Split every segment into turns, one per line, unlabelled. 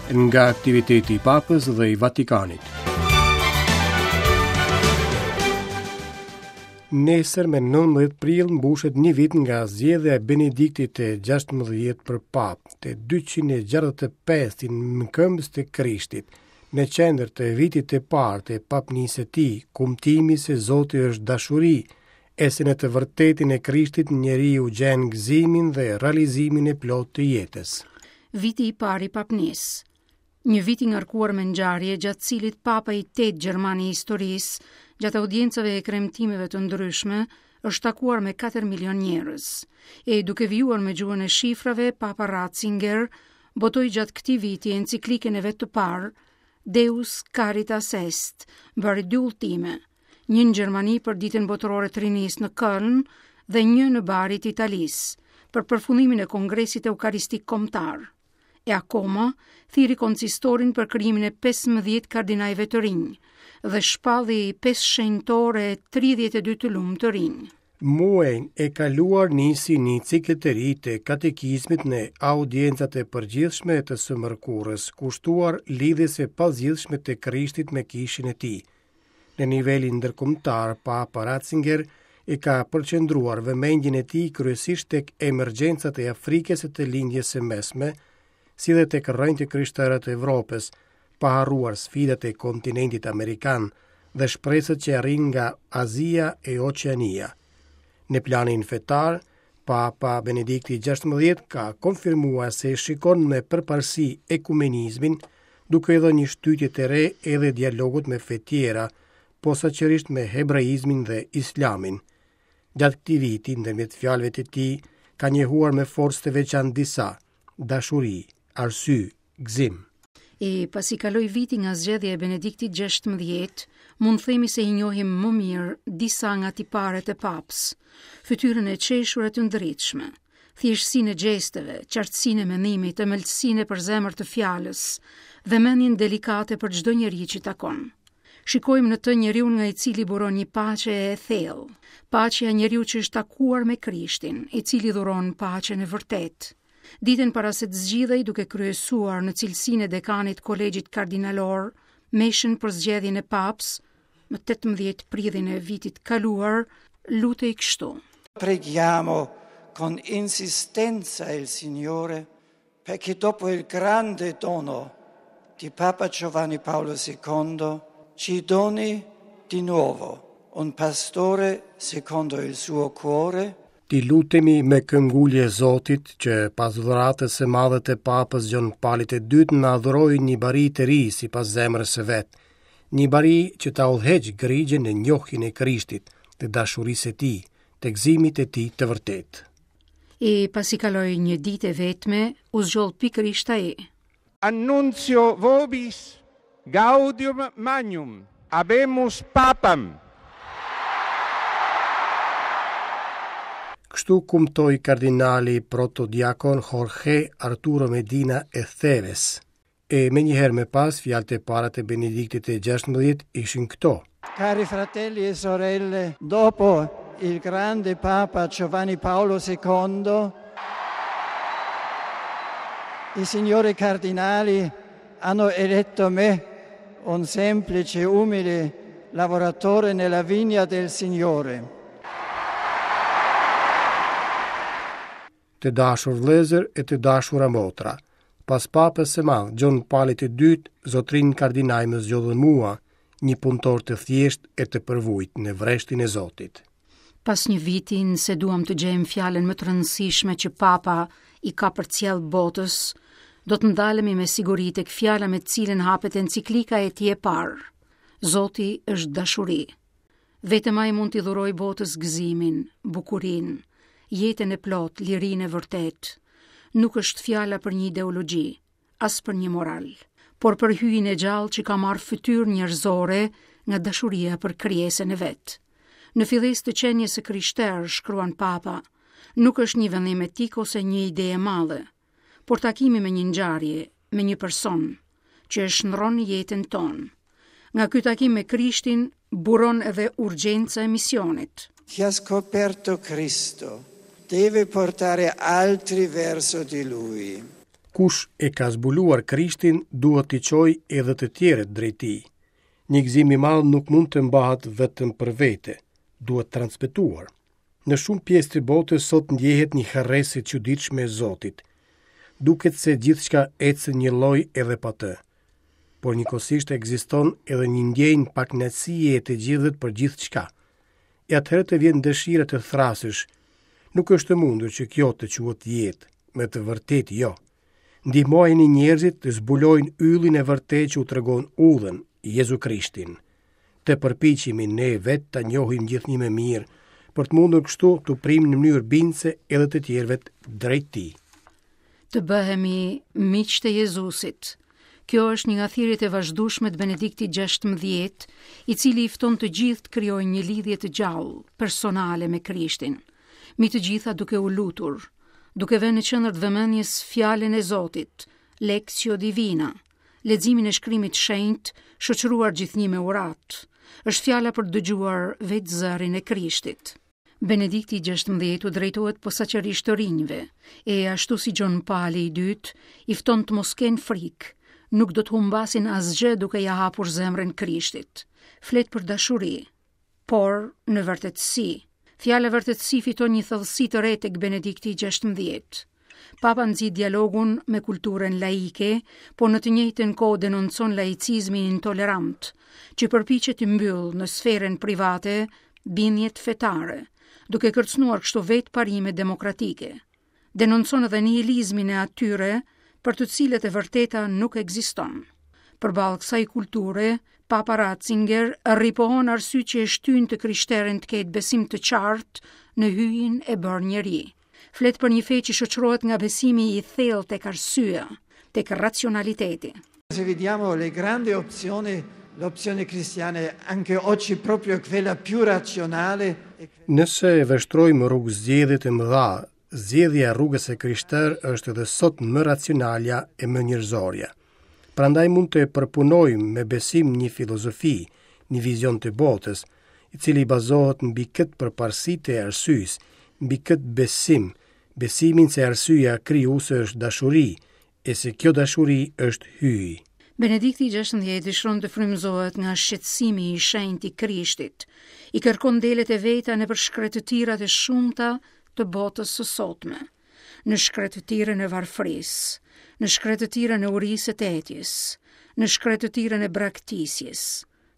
Nga aktiviteti i Papës dhe i Vatikanit. Nesër me 19 prill mbushet një vit nga zgjedhja e Benediktit të 16 për papë, të 265-in mëkëmbës të Krishtit. Në qendër të vitit të parë të papnisë së tij, kumtimi se Zoti është dashuri, e se në të vërtetën e Krishtit njeriu gjen gëzimin dhe realizimin e plotë të jetës.
Viti i parë i papnisë. Një vit i ngarkuar me ngjarje gjatë cilit papa i tetë gjerman i historisë, gjatë audiencave e kremtimeve të ndryshme, është takuar me 4 milion njerëz. E duke vijuar me gjuhën e shifrave, Papa Ratzinger botoi gjatë këtij viti enciklikën e vet të parë, Deus Caritas Est, bëri dy udhëtime, një në Gjermani për Ditën Botërore të Rinisë në Köln dhe një në Bari të Italisë, për përfundimin e Kongresit Eukaristik Kombëtar. E akoma, thirri konsistorin për krijimin e 15 kardinajve të rinj dhe shpalli 5 shenjtorë e 32 të lumë të rinj.
Muajin e kaluar nisi një cikël të ri të katekizmit në audiencat e përgjithshme të së mërkurës, kushtuar lidhjes së pazgjidhshme të Krishtit me kishën e tij. Në nivelin ndërkombëtar, Papa Ratzinger e ka përqendruar vëmendjen e tij kryesisht tek emergjencat e Afrikës e të Lindjes së Mesme, si dhe tek rrënjët e krishtere të Evropës, pa harruar sfidat e kontinentit amerikan dhe shpresat që arrijnë nga Azia e Oqeania. Në planin fetar, Papa Benedikti XVI ka konfirmuar se shikon me përparësi ekumenizmin, duke i dhënë një shtytje të re edhe dialogut me fe tjera, posaçërisht me hebraizmin dhe islamin. Gjatë këtij viti, ndërmjet fjalëve të tij, ka njohuar me forcë të veçantë disa, dashuri, arsye, gëzim.
E pasi kaloi viti nga zgjedhja e Benediktit XVI, mund themi se i njohim më mirë disa nga tiparet e papës, fytyrën e qeshur e të ndritshme, thjeshtësinë e gjesteve, qartësinë e mendimit, ëmbëlsinë e përzemërt të fjalës, vëmendjen delikate për çdo njeri që takon. Shikojmë në të njeriun nga i cili buron një paqe e thellë, paqja e njeriut që është takuar me Krishtin, i cili dhuron paqen e vërtetë. Ditën para se të zgjidhej duke kryesuar në cilësinë e dekanit kolegjit kardinalor, meshën për zgjedhjen e papës, më 18 prillin e vitit kaluar, lutej kështu.
Preghiamo con insistenza il Signore perché dopo il grande dono di Papa Giovanni Paolo II ci doni di nuovo un pastore secondo il suo cuore
T'i lutemi me këmbëngulje Zotit që pas dhuratës së madhe të Papës Gjon Palit të Dytë na dhurojë një bari të ri sipas zemrës së vet, një bari që ta udhëheqë grigjën në njohjen e Krishtit, të dashurisë së tij, të gëzimit të tij të vërtetë.
E pasi kaloi një ditë e vetme, u zgjodh pikërisht ai.
Annunzio vobis gaudium magnum, habemus papam.
Kështu kumtoi kardinali protodiakon Jorge Arturo Medina Estévez. E menjëherë më pas, fjalët e para të Benediktit të XVI ishin këto.
Cari fratelli e sorelle, dopo il grande Papa Giovanni Paolo II, i signori cardinali hanno eletto me, un semplice, umile lavoratore nella vigna del Signore.
Të dashur vëllezër e të dashura motra, pas Papës së Madh Gjon Palit të Dytë, zotërinj kardinaj më zgjodhën mua, një punëtor të thjeshtë e të përvujt në vreshtin e Zotit.
Pas një viti, nëse duam të gjejmë fjalën më të rëndësishme që Papa i ka përcjellë botës, do të ndalemi me siguri tek fjala me të cilën hapet enciklika e tij e parë. Zoti është dashuri. Vetëm ai mund t'i dhurojë botës gëzimin, bukurinë, jetën e plotë, lirinë e vërtetë. Nuk është fjala për një ideologji, as për një moral, por për hyjin e gjallë që ka marrë fytyrë njerëzore nga dashuria për krijesën e vet. Në fillesë të qenies së krishterë, shkruan Papa, nuk është një vendim etik ose një ide e madhe, por takimi me një ngjarje, me një person, që e shndërron jetën tonë. Nga ky takim me Krishtin buron edhe urgjenca e misionit.
Chi ha scoperto Cristo deve portare altri verso di lui.
Kush e ka zbuluar Krishtin duhet t'i çojë edhe të tjerët drejt tij. Një gëzim i madh nuk mund të mbahet vetëm për vete, duhet transmetuar. Në shumë pjesë të botës sot ndjehet një harresë e çuditshme e Zotit. Duket se gjithçka ecën njëlloj edhe pa të. Por njëkohësisht ekziston edhe një ndjenjë pakënaqësie e të gjithëve për gjithçka. E atëherë të vjen dëshira të thërrasësh. Nuk është e mundur që kjo të quhet jetë, me të vërtetë jo. Ndihmojini njerëzit të zbulojnë yllin e vërtetë që u tregon udhën, Jezu Krishtin. Të përpiqemi ne vetë ta njohim gjithnjë më mirë, për të mundur kështu t'u prijmë në mënyrë bindëse edhe të tjerëve drejt
tij. Të bëhemi miqtë e Jezusit. Kjo është një nga thirrjet e vazhdueshme të Benediktit XVI, i cili i fton të gjithë të krijojnë një lidhje të gjallë, personale me Krishtin. Mbi të gjitha duke u lutur, duke vënë në qendër të vëmendjes fjalën e Zotit, Lectio Divina, leximin e shkrimit të shenjtë, shoqëruar gjithnjë me uratë. Është fjala për të dëgjuar vetë zërin e Krishtit. Benedikti XVI u drejtohet posaçërisht të rinjve, e ashtu si Gjon Pali i dytë, i fton të mos kenë frikë, nuk do të humbasin asgjë duke ia hapur zemrën Krishtit. Flet për dashuri, por në vërtetësi. Fjala vërtetësi fiton një thellësi të re tek Benedikti XVI. Papa nxit dialogun me kulturën laike, por në të njëjtën kohë denoncon laicizmin intolerant, që përpiqet të mbyllë në sferën private bindjet fetare, duke kërcënuar kështu vetë parimet demokratike. Denoncon edhe nihilizmin e atyre për të cilët e vërteta nuk ekziston. Përballë kësaj kulture, Papa Ratzinger ripohon arsyet që e shtyjnë të krishterin të ketë besim të qartë në hyjin e bërë njeri. Flet për një fe që shoqërohet nga besimi i thellë tek arsyeja, tek racionaliteti.
Se vediamo le grandi opzioni, l'opzione cristiana è anche oggi proprio quella più razionale.
Nëse e vështrojmë rrugëzgjedhjet e mëdha, zgjedhja e rrugës së krishterë është edhe sot më racionalja e më njerëzorja. Prandaj mund të përpunojmë me besim një filozofi, një vizion të botës, i cili bazohet mbi këtë përparësi të arsyes, mbi këtë besim, besimin se arsyeja krijuese është dashuri, e se kjo dashuri është hyji.
Benedikti i XVI dëshiron të frymëzohet nga shqetësimi i shenjtë i Krishtit. I kërkon delet e veta nëpër shkretëtirat e shumta të botës së sotme. Në shkretëtirën e varfërisë, në shkretëtirën e urisë e të etjes, në shkretëtirën e braktisjes,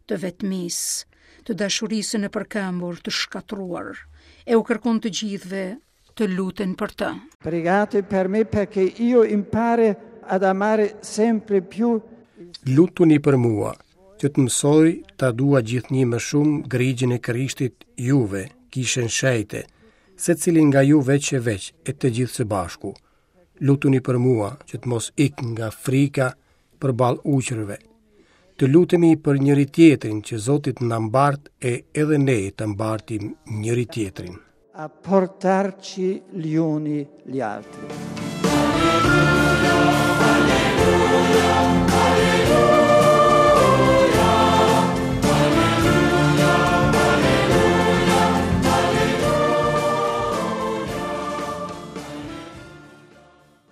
të vetmisë, të dashurisë së nëpërkëmbur, të shkatërruar, e u kërkon të gjithëve të luten për
të. Pregate per me perché io impari ad amare sempre più
Lutuni për mua, që të mësoj ta dua gjithnjë më shumë grigjën e Krishtit juve, kishën shenjte, secilin nga ju veç e veç e të gjithë së bashku. Lutuni për mua, që të mos ik nga frika përballë ujqërve. Të lutemi për njëri-tjetrin që Zoti të na mbartë e edhe ne të mbartim njëri-tjetrin.
A portarci gli uni gli altri.